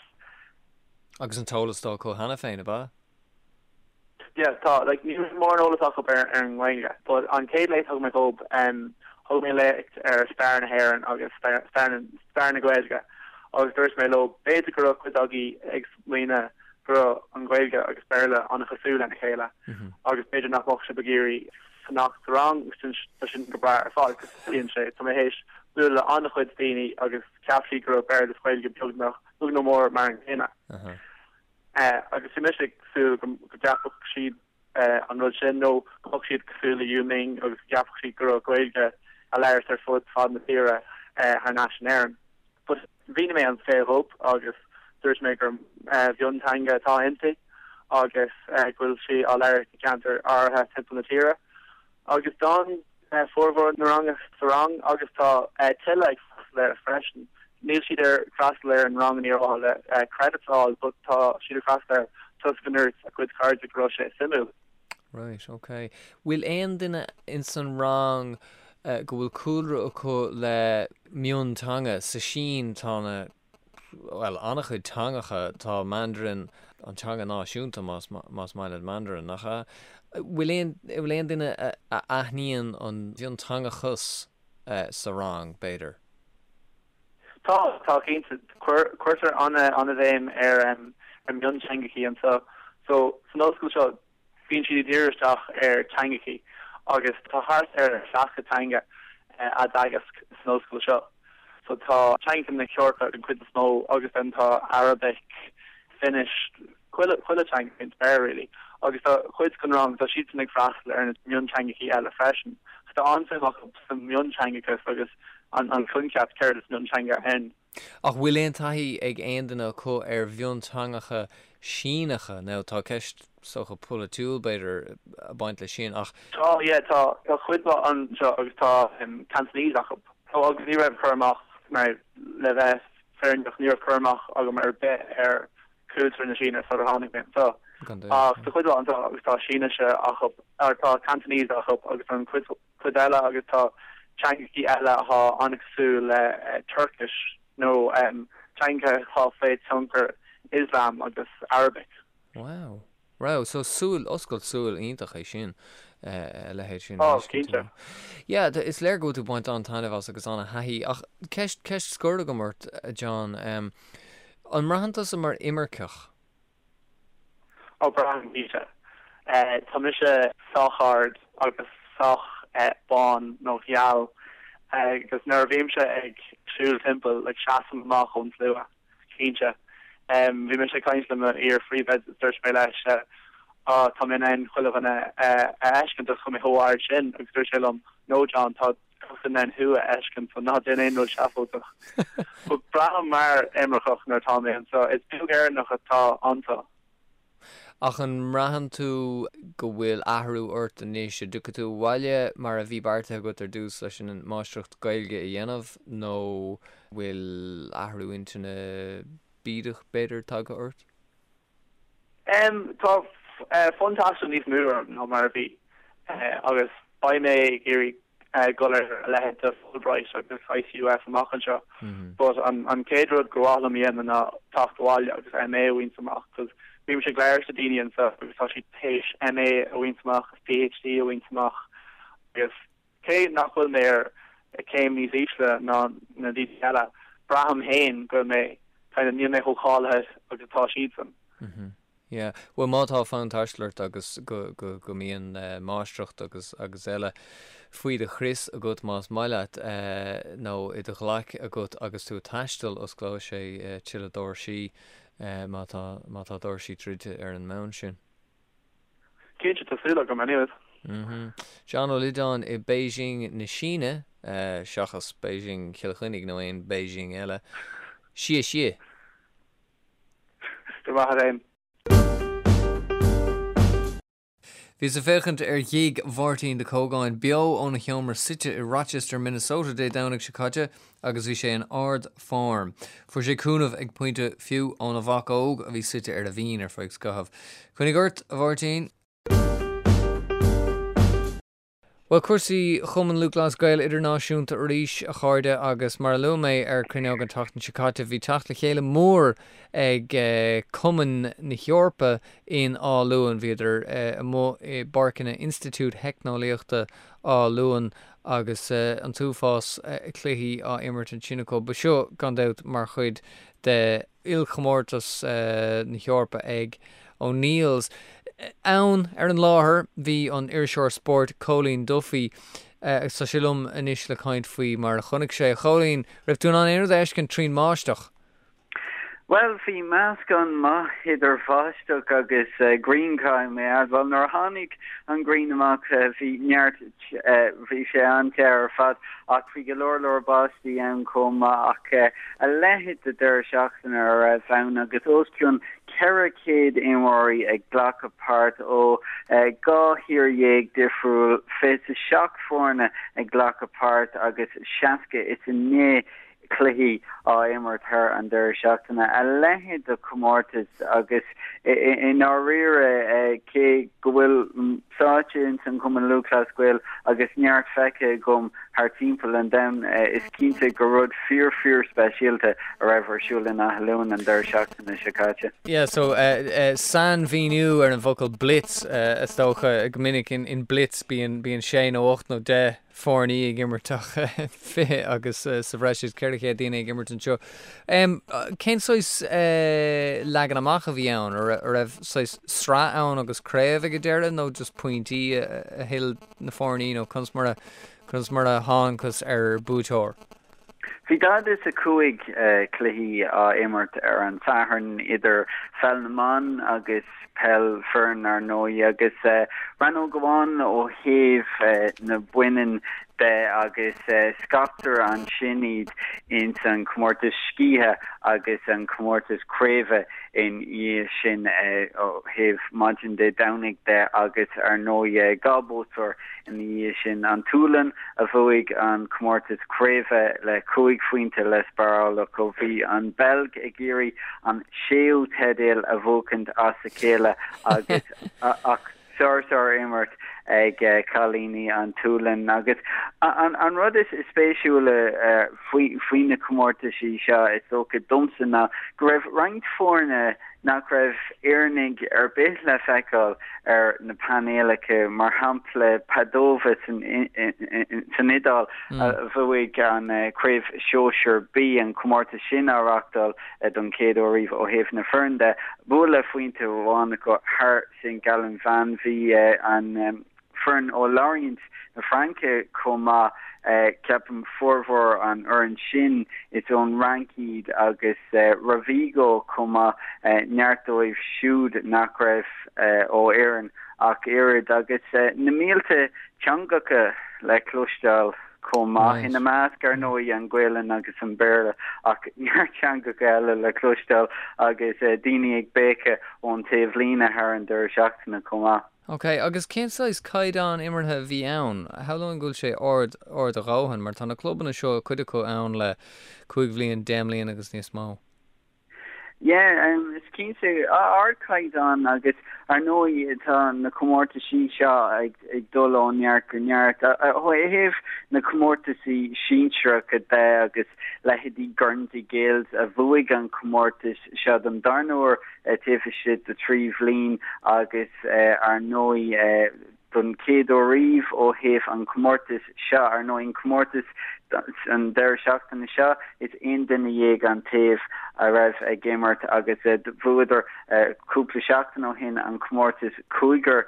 Agus an t-eolas atá acu cheana féin, ab ea? Yeah, tá, like, ní raibh mórán eolas acu ar, ar an nGaeilge, but an chéad léacht a thug mé dhób, em, thug mé léacht ar stair na hÉireann agus stair, stair na, stair na Gaeilge agus dúirt mé leo, b'fhéidir go raibh cuid agaibh ag smaoineamh go raibh an Ghaeilge agus Béarla an-chosúil lena chéile agus b'fhéidir nach mbeadh sibh ag iarraidh fanacht sa rang agus sin tá sin go breá ar fad agus bíonn sé tá mé théis bualadh le an-chuid daoine agus cheap siad go raibh Béarla agus Gaeilge beagnach beag nó mór mar an gcéanna. Agus bhí mise ag súil go gceapfadh siad an rud sin nó go mbeadh siad cosúil le Yu Ming agus go gceapfadh siad go raibh Gaeilge á labhairt ar fud fad na tíre thar n-ais in Éirinn. But mhínigh mé an scéal dhób agus dúirt mé gur mhionteanga atá inti agus go bhfuil sí á labhairt i gceantair áirithe timpeall na tíre. Agus d'fhan formhór na ranga sa rang agus tá tuilleadh ag freastal air freisin. Níl siad ag freastal ar an rang ar mhaithe le credits a fháil but tá siad ag freastal air toisc go ndúirt a gcuid cairde go raibh sé suimiúil. Right, ok. Bhfuil aon duine ins an rang go bhfuil cúlra acu le mionteanga? Sa Sín tá na, bhuel, an-chuid teangacha, tá Mandarin, an teanga náisiúnta más, más maith leat Mandarin, nach ea? Bhfuil aon, bhfuil aon duine a, a aithníonn an mhionteangachas sa rang, b'fhéidir? Tá, tá cinnte. Cuirtear an-bhéim ar ar mhionteangachaí anseo. So, san ollscoil seo, bíonn siad ag díriú isteach ar teangachaí agus tá thart ar 60 teanga á dteagasc san ollscoil seo. So tá teangacha na hEorpa den chuid is mó agus then tá Arabic, Finnish, chuile chuile teanga faoin spéir really. Agus tá cuid den rang, tá siadsan ag freastal ar na mionteangachaí eile freisin. So tá an-suim acu sa mhionteangachas agus an an coincheap céard is mionteanga ann. Ach bhfuil aon taithí ag aon duine acu ar mhionteangacha Síneacha? Now tá ceist is dócha polaitiúil b'fhéidir ag baint leis sin ach. Tá, yeah, tá, tá cuid mhaith anseo agus tá Cantonese acu. So agus ní raibh cur amach, mar le bheith fírinneach, ní raibh cur amach agam ar bith ar cultúr na Síne sular tháinig mé anseo. Ach tá cuid mhaith anseo agus tá Sínise acu, or tá Cantonese acu agus an cuid cuid eile agus tá teangachaí eile atá an-chosúil le Turkish nó teangacha atá faoi tionchar Islam agus Arabic. Wow. Wow, so súil, oscailt súil iontach é sin, a leithéid sin a Oh, fheiscint. cinnte. Yeah, is léir go bhfuil tú ag baint an-taitneamh as agus an-thaithí, ach ceist, ceist scoir agam ort, a John, an mbraitheann tusa mar imirceach? Ó, braithim, cinnte. Tá mise sách ard agus sách bán nó geal agus nuair a bhímse ag siúl timpeall, like, seasaim amach ón slua, cinnte. Bhí mise ag caint le mo iar-phríomhoide is dúirt mé leis, Á, tá mé in ann chuile dhuine a fheiscint agus tá mé chomh ard sin agus dúirt sé liom, No John, tá gach duine in ann thú a fheiscint so ná déan aon rud seafóideach. But braithim mar imirceach nuair atá mé anseo. Is beag Éireannach atá anseo. Ach an mbraitheann tú go bhfuil athrú ort anois? An dtiocfaidh tú abhaile mar a bhí beartaithe agat ar dtús leis an máistreacht Gaeilge a dhéanamh nó bhfuil athrú intinne bídeach b'fhéidir tagtha ort? Tá fonn taistil níos mó orm ná mar a bhí agus beidh mé ag iarraidh dul ar a leithéid de Fulbright agus ICUF amach anseo. But an chéad rud gur mhaith liom a dhéanamh ná teacht abhaile agus MA a bhaint amach cos bímse ag labhairt le daoine anseo agus tá siad théis MA a bhaint amach agus PhD a bhaint amach agus cé nach bhfuil mé ar chéim níos ísle ná na daoine eile, braithim féin go bhfuil mé kind of níl mé chomh cáilithe agus atá siadsan. Mm-hmm. Yeah. Bhuel má tá fonn taistil ort agus go, go, go mbíonn máistreacht agus, agus eile faoi do chrios agat más maith leat nó i do ghlaic agat agus tú ag taisteal, osclóidh sé tuilleadh doirsí má tá, má tá doirsí druidte ar an mbonn sin. Cinnte, tá súil agam, anyways. John Ó Loideáin i Beijing na Síne, seachas Beijing Chill Chainnigh nó aon Beijing eile. Xie xie. Go raibh maith agat fhéin. Bhíos ag féachaint ar ghig Mháirtín de Cógáin beo óna sheomra suite i Rochester, Minnesota Dé Domhnaigh seo caite agus bhí sé in ard-form. Fuair sé cúnamh ag pointe fiú óna mhac óg a bhí suite ar a mhuin ar feadh scaithimh. Coinnigh ort, a Mháirtín! Bhuel, cúrsaí Chumann Lúthchleas Gael Idirnáisiúnta arís, a chairde, agus mar a luaigh mé ar Cruinneog an tseachtain seo caite, bhí teacht le chéile mór ag Cumainn na hEorpa in Áth Luain. Bhíodar amuigh i bpáirceanna Institiúid Theicneolaíochta Áth Luain agus an t-uafás cluichí á imirt ansin acu. Ba seo, gan dabht, mar chuid de ilchomórtas na hEorpa ag O'Neills. Ann, ar an láthair, bhí an iriseoir spóirt Cóilín Duffy agus tá sé liom anois le caint faoi mar a chonaic sé. A Chóilín, raibh tú in ann aon rud a fheiscint trín mbáisteach? Bhuel, bhí meascán maith idir bháisteach agus grian, caithfidh mé a admháil. Nuair a tháinig an ghrian amach bhí neart, bhí sé an-te ar fad ach bhí go leor leor báistí ann chomh maith ach a leithéid de deireadh seachtaine a raibh ann agus os cionn 400 imreoirí ag glacadh páirt ó 12 thír difriúil, 27 foirne ag glacadh páirt agus 69 cluichí á imirt thar an deireadh seachtaine. A leithéid de chomórtas agus i ndáiríre cé go bhfuil sáite ins an Chumann Lúthchleas Gael agus neart feicthe agam thar timpeall an domhain, is cinnte gur rud fíor fíor speisialta a raibh ar siúl in Áth Luain an deireadh seachtaine seo caite. Yeah, so sainmhíniú ar an bhfocal blitz, is dócha, go minic in blitz bíonn sé nó 8 nó 10 foirní ag imirt ach 20 agus sa bhreis is 400 daoine ag imirt anseo. Cén saghas leagan amach a bhí ann? An raibh saghas sraith ann agus craobh ag an deireadh nó just pointí a thuill na foirní nó conas mar a conas mar a thángthas ar buaiteoir? Bhí 45 cluichí á imirt ar an Satharn idir pheil na mban agus peil fireann ar ndóigh agus rannóg amháin ó thaobh na mbaineann de agus scaiptear ansin iad ins an comórtas scíthe agus an comórtas craoibhe ina dhiaidh sin ó thaobh maidin Dé Domhnaigh de agus ar ndóigh 2 buaiteoir Ina dhiaidh sin, an tSualainn a bhuaigh an comórtas craoibhe le 5 phointe le spáráil acu. Bhí an Bheilg ag iarraidh an séú teideal a bhuachaint as a chéile agus ach sár-sár-imirt ag cailíní an tSualainn. Agus an rud is spéisiúla faoi na comórtaisí seo is dócha domsa ná go raibh roinnt foirne nach raibh Éireannaigh ar bith le feiceáil ar na painéalacha, mar shampla Padova san Iodáil a bhuaigh an Craobh Shóisir B, an comórtas sin á reáchtáil don chéad uair riamh ó thaobh na foireann de. Bua le phointe amháin acu thar St Gallen Bhan. Bhí an. foireann ó Lorient na Fraince chomh maith. Ceapaim formhór an fhoireann sin is ón Fhrainc iad agus Rovigo chomh maith, neart dóibh siúd nach raibh ó Éirinn ach oiread. Agus na mílte teangacha le cloisteáil chomh maith, ina measc ar ndóigh an Ghaelainn agus an Béarla ach neart teangacha eile le cloisteáil agus daoine ag béiceadh ón taobhlíne thar an deireadh seachtaine chomh maith. Ok, agus cén saghas caighdeán imeartha a bhí ann? Shamhlóinn go bhfuil sé ard, ard a dhóthain, mar tá na clubanna seo, cuid acu ann le 5 bhliain, 10 mbliana agus níos mó. Yeah, is cinnte, ardchaighdeán agus ar ndóigh tá na comórtaisí seo ag dul ó neart go neart. Ó thaobh na comórtaisí sinsearacha de agus leithéidí Guernsey Gaels a bhuaigh an comórtas seo don darna huair, taobh istigh de thrí bhliain agus ar ndóigh don chéad uair riamh ó thaobh an chomórtais seo, ar ndóigh an comórtas an deireadh seachtaine seo is 11 duine an taobh a raibh ag imirt agus bhuadar cúpla seachtain ó shin an comórtas cúigear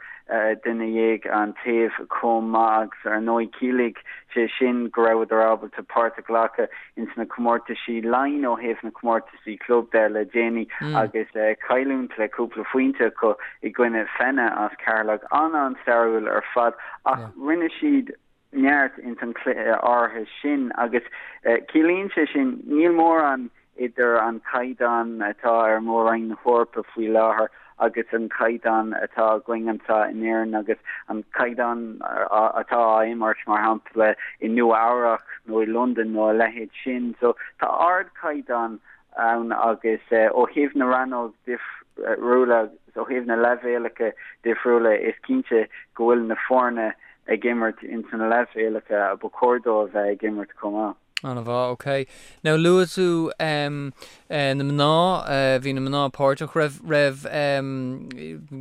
duine dhéag an taobh chomh maith agus ar ndóigh chiallaigh sé sin go rabhadar ábalta páirt a ghlacadh ins na comórtaisí Laighin ó thaobh na comórtais comórtaisí club de le déanaí agus cailliúint le cúpla phointe acu i gcoinne Fenagh as Ceatharlach. An-an-stairiúil ar fad ach rinne siad neart ins an chluiche áirithe sin agus ciallaíonn sé sin níl mórán idir an caighdeán atá ar Mhór-Roinn na hEorpa faoi láthair agus an caighdeán atá againn anseo in Éirinn agus an caighdeán atá á imirt, mar shampla, i Nua Eabhrac nó i Londain nó a leithéid sin. So tá ardchaighdeán ann agus ó thaobh na rannóg difriúla agus ó thaobh na leibhéalacha difriúla is cinnte go bhfuil na foirne ag imirt ins na leibhéalacha a ba chóir dóibh a bheith ag imirt chomh maith. An-mhaith, ok. Now luaigh tú em na mná, bhí na mná páirteach, raibh, raibh em,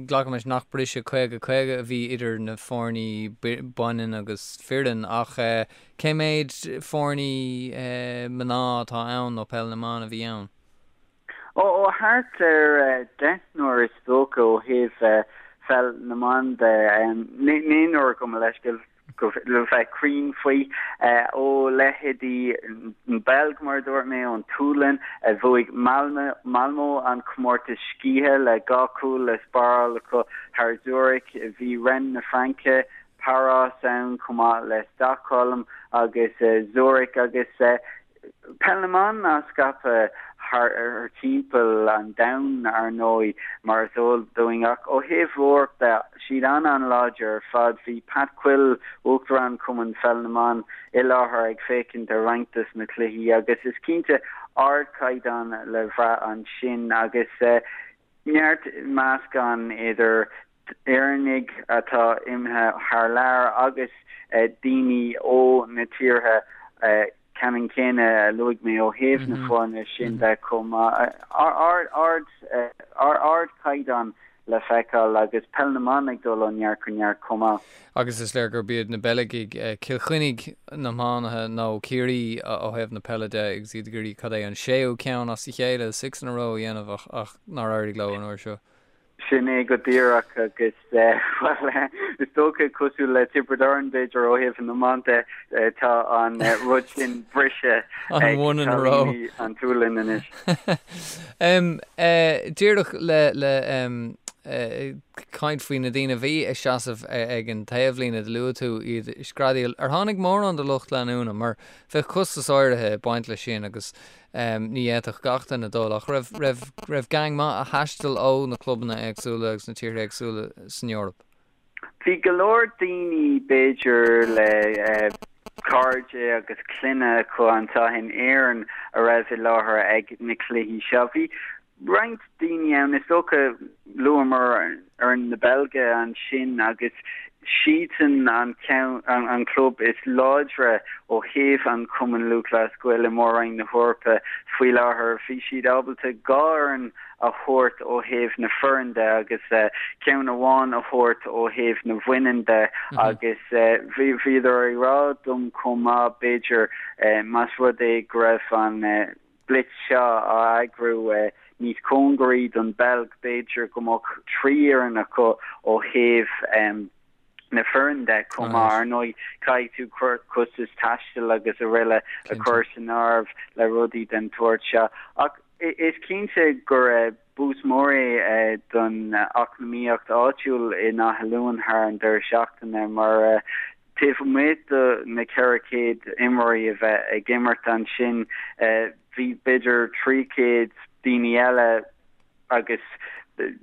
glacaim leis nach briseadh 50, 50 a bhí idir na foirní baineann agus fireann ach eh cé méid foirní eh mná atá ann nó peil na mban a bhí ann? Ó, ó thart ar deichniúr is dócha ó thaobh pheil na mban de, naonúr gabh mo leithscéal. le bheith cruinn faoi, ó leithéidí an Bheilg, mar a dúirt mé, ón tSualainn, a bhuaigh Malmö, Malmö an comórtas scíthe le 2 chúl le spáráil acu thar Zurich. Bhí Rennes na Fraince, Páras ann chomh maith le Stockholm agus Zurich agus Peil na mban á scaipeadh thar timpeall an domhain, ar ndóigh, mar is eol dúinn, ach ó thaobh Eoraip de, siad an-an-láidir ar fad. Bhí Pat Quill, Uachtarán Chumann Pheil na mBan, i láthair ag féachaint ar roinnt dos na cluichí agus is cinnte ardchaighdeán le bhrath ansin agus neart meascán idir Éireannaigh atá imithe thar lear agus daoine ó na tíortha ceannann céanna a luaigh mé ó thaobh na foirne sin de chomh maith. Ardchaighdeán le feiceáil agus peil na mban ag dul ó neart go neart chomh maith. Agus is léir gurb iad na Beilgigh, Cill Chainnigh na hiománaithe nó Ciarraí ó thaobh na peile de agus iad ag iarraidh cad é an séú ceann as a chéile, six in a row a dhéanamh ach nár éirigh leo an uair seo. Sin é go díreach agus bhuel is dócha cosúil le Tiobraid Árann b'fhéidir ó thaobh an iomáint de tá an rud sin briste ag cailíní an tSualainn anois. Díreach le le caint faoi na daoine a bhí ag seasamh ag an taobhlíne, do luaigh tú iad ag screadaíl. Ar tháinig mórán de lucht leanúna mar bheadh costas áirithe ag baint leis sin agus ní fhéadfadh gach duine dul ach raibh raibh raibh gang maith a thaistil ó na clubanna éagsúla agus na tíortha éagsúla san Eoraip? Bhí go leor daoine b'fhéidir le cairde agus clainne acu anseo in Éirinn a raibh i láthair ag na cluichí seo. Bhí roinnt daoine ann, is dócha, luamar fhoireann na Beilge ansin agus siadsan an ceann, an club is láidre ó thaobh an Chumann Lúthchleas Gael i Mór-Roinn na hEorpa faoi láthair. Bhí siad ábalta 2 fhoireann a thabhairt ó thaobh na foireann de agus ceann amháin a thabhairt ó thaobh na bhaineann de agus bhíodar ag rá dom chomh maith b'fhéidir más rud é go raibh an blitz seo á eagrú níos cóngaraí don Bheilg b'fhéidir go mbeadh 3 fhoireann acu ó thaobh na foireann de chomh maith. Ar ndóigh, caithfidh tú costas taistil agus araile a chur san áireamh le rudaí den tsórt seo. Ach is cinnte gur bús mór é don eacnamaíocht áitiúil in Áth Luain thar an deireadh seachtaine mar taobh amuigh de na 400 imreoirí a bheith ag imirt ansin, bhí b'fhéidir 300 daoine eile agus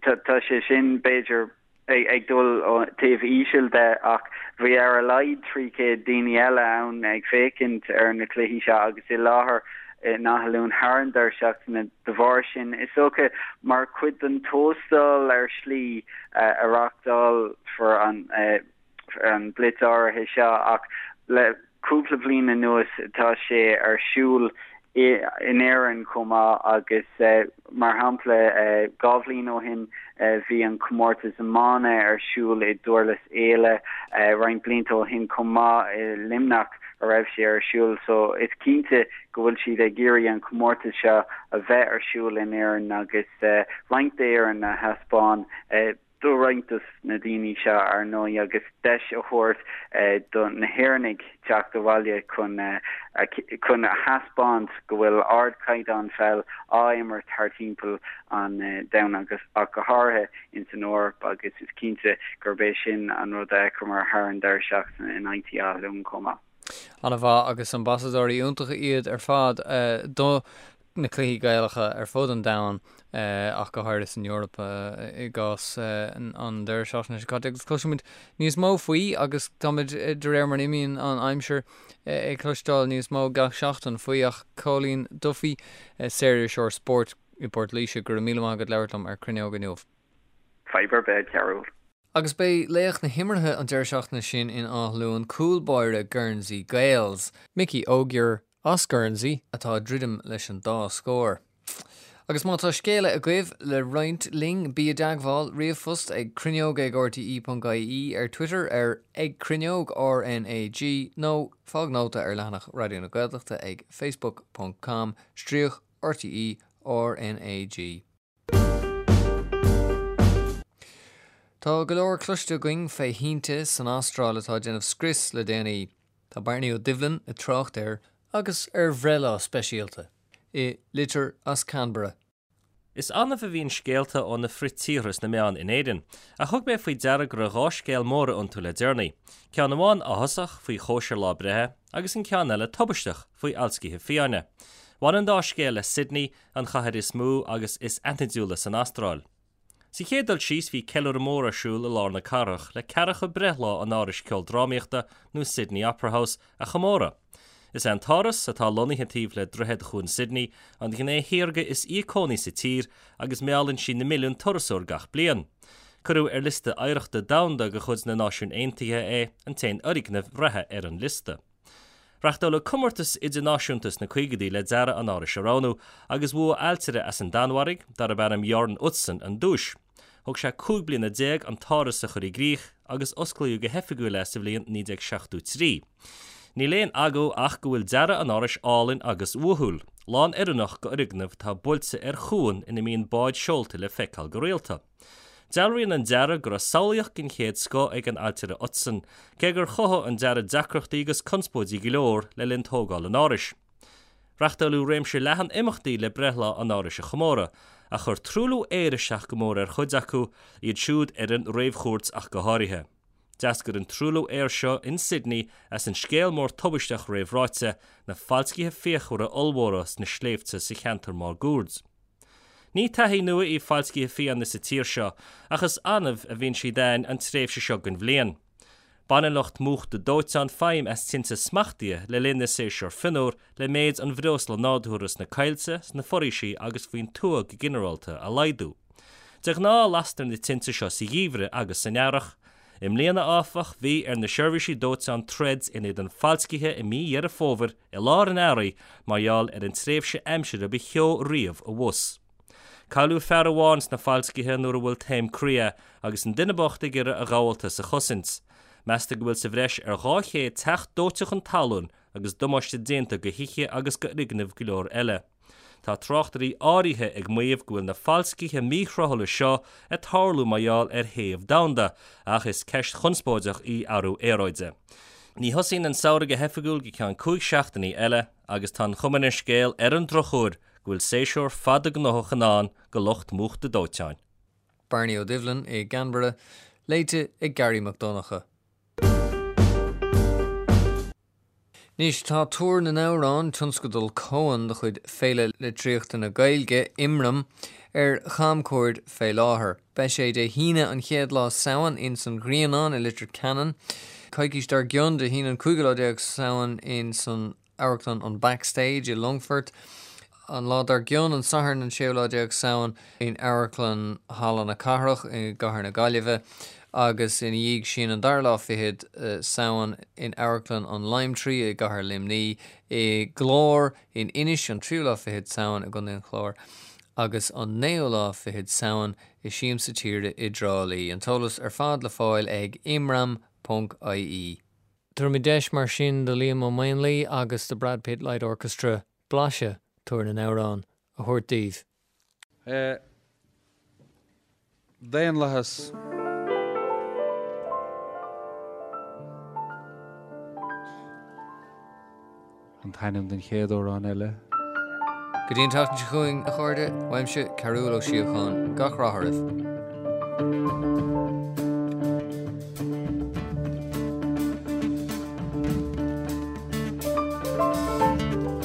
tá sé sin b'fhéidir ag dul ó taobh íseal de ach bhí ar a laghad 300 daoine eile ann ag féachaint ar na cluichí seo agus i láthair in Áth Luain thar an deireadh seachtaine de bharr sin. Is dócha mar chuid den tóstal ar shlí a reáchtálfar an an blitz áirithe seo ach le cúpla bliain anuas tá sé ar siúl in Éirinn chomh maith agus mar shampla 2 bhliain ó shin bhí an comórtas iomána ar siúl i nDurlas Éile, roinnt blianta ó shin chomh maith i Luimneach a raibh sé ar siúl so is cinnte go bhfuil siad ag iarraidh an comórtas seo a bheith ar siúl in Éirinn agus roinnt d'Éirinn a thaispeáin. do roinnt dos na daoine seo, ar ndóigh, agus deis a thabhairt do na hÉireannaigh teacht abhaile chun chun a thaispeáint go bhfuil ardchaighdeán pheil á imirt thar timpeall an domhain agus ach go háirithe ins an Eoraip agus is cinnte gurb é sin an rud a fheiceamar thar an deireadh seachtaine in IT Áth Luain chomh maith. An-mhaith agus ambasadóirí iontacha iad ar fad do na cluichí Gaelacha ar fud an domhain ach go háirithe san Eoraip i gcás an deireadh seachtaine seo caite agus cloisfimid níos mó faoi agus táimid de réir mar a imíonn an aimsir ag cloisteáil níos mó gach seachtain faoi ach Cóilín Duffy, saoririseoir spóirt i bPort Laoise, go raibh míle maith agat labhairt liom ar Cruinneog inniu. Fadhb ar bith, a Chearúil. Agus beidh laoch na himeartha an deireadh seachtaine sin in Áth Luain, cúl báire Guernsey Gaels, Mickey Ogier, As Guernsey atá ag druidim leis an dá scór. Agus má tá scéala agaibh le roinnt linn, bí i dteagmháil, ríomhphost ag cruinneog ag rte.ie, ar Twitter ar ag cruinneog RnaG nó fág nóta ar leathanach Raidió na Gaeltachta ag facebook ponc com stríoc rte RnaG. Tá go leor cloiste againn fé thinte san Astráil atá ag déanamh scrios le déanaí. Tá Bearnaí Ó Doibhlin ag trácht air agus ar bhreithlá speisialta i litir as Canberra. Is annamh a bhíonn scéalta ó na frith-tíortha sna meáin in Éirinn, ach thug mé faoi deara go raibh 2 scéal móra iontu le deireanaí, ceann amháin áthasach faoi chóisir lá breithe agus an ceann eile tubaisteach faoi fhalscithe fiáine. Bhain an dá scéal le Sydney, an chathair is mó agus is aithnidiúla san Astráil. Sa chéad dul síos bhí ceiliúradh mór ar siúl i lár na cathrach le ceathracha breithlá an Árais Ceoldrámaíochta nó Sydney Opera House a chomóradh. Is é an t-áras, atá lonnaithe taobh le Droichead Chuan Sydney, an ghné shaorga is íocónaí sa tír agus meallann sí na milliúin turasóir gach bliain. Cuireadh ar liosta oidhreachta domhanda de chuid na Náisiún Aontaithe é, an t-aon fhoirgneamh reatha ar an liosta. Reachtáladh comórtas idirnáisiúnta sna caogaidí le dearadh an árais a roghnú, agus bhuaigh ailtire as an Danmhairg, darb ainm Jørn Utzon, an duais. Thóg sé 15 bliana an t-áras a chur i gcrích, agus osclaíodh go hoifigiúil é sa bhliain 1973. Níl aon agó ach go bhfuil dearadh an árais álainn agus uathúil, lán-oiriúnach d'fhoirgneamh atá buailte ar chuan ina mbíonn báid seolta le feiceáil go rialta. Dealraíonn an dearadh go raibh samhlaíocht den chéad scoth ag an ailtire Utzon, cé gur chothaigh an dearadh deacrachtaí agus conspóidí go leor le linn tógáil an árais. Reachtáileadh réimse leathan imeachtaí le breithlá an árais a chomóradh, ach chuir truailliú aeir isteach go mór ar chuid acu, iad siúd ar an réamhchuairt ach go háirithe. D'eascair an truailliú aeir seo in Sydney as an scéal mór tubaisteach réamhráite, na falscaithe fíochmhara ollmhóra sna sléibhte sa cheantar máguaird. Ní taithí nua í falscaithe fiáine sa tír seo, ach is annamh a bhíonn siad ann an tréimhse seo den bhliain. Baineann lucht múchta dóiteán feidhm as tinte smachtaithe le linn na séasúr fionnuar le méid an bhreosla nádúrtha sna coillte, sna foraoisí agus faoin tuath go ginearálta a laghdú. De ghnáth lastar na tinte seo sa gheimhreadh agus san earrach. I mbliana, áfach, bhí ar na seirbhísí dóiteáin troid in éadan falscaithe i mí Dheireadh Fómhair i lár an earraigh mar gheall ar an tréimhse aimsire ba theo riamh abhus. Cailleadh fear amháin sna falscaithe nuair a bhuail taom croí é agus an duine bocht ag iarraidh a ghabháltas a chosaint. Meastar go bhfuil sa bhreis ar 200 teach dóite chun talún agus damáiste déanta do thithe agus d'fhoirgnimh go leor eile. Tá tráchtairí áirithe ag maíomh go bhfuil na falscaithe míthreoithe seo ag tarlú mar gheall ar théamh domhanda, ach is ceist chonspóideach í athrú aeráide. Ní thosaíonn an samhradh go hoifigiúil go ceann 5 seachtainí eile agus tá an chuma ar an scéal ar an drochuair go bhfuil séasúr fada gnóthach i ndán do lucht múchta dóiteáin. Bearnaí Ó Doibhlin i gCanberra, léite ag Garry Mac Donncha. Anois, tá Tuar na nAmhrán, tionscadal Cuan de chuid Féile Litríochta na Gaeilge, imram, ar chamchuaird fé láthair. Beidh sé Dé hAoine an chéad lá Samhain ins an Ghrianán i Leitir Ceanainn, coicís dár gcionn Dé hAoine an cúigiú lá déag Samhain ins an Amharclann an Backstage i Longfort. An lá dár gcionn, an Satharn an séú lá déag Samhain, in Amharclann Halla na Cathrach i gCathair na Gaillimhe agus ina dhiaidh sin, an dara lá fichead Samhain, in Amharclann an Lime Tree i gCathair Luimnigh, i gClár in Inis an tríú lá fichead Samhain i gContae an Chláir agus an naoú lá fichead Samhain i Siamsa Tíre i dTrá Lí. An t-eolas ar fad le fáil ag imram ponc ie. Tabharfaimid deis mar sin do Liam Ó Maonlaí agus The Brad Pitt Light Orchestra blaiseadh Tuar na nAmhrán a thabhairt daoibh. Daonlathas. An t-ainm den chéad amhrán eile. Go dtí an tseachtain seo chugainn, a chairde, uaimse, Cearúll Ó Síocháin, gach rath oraibh.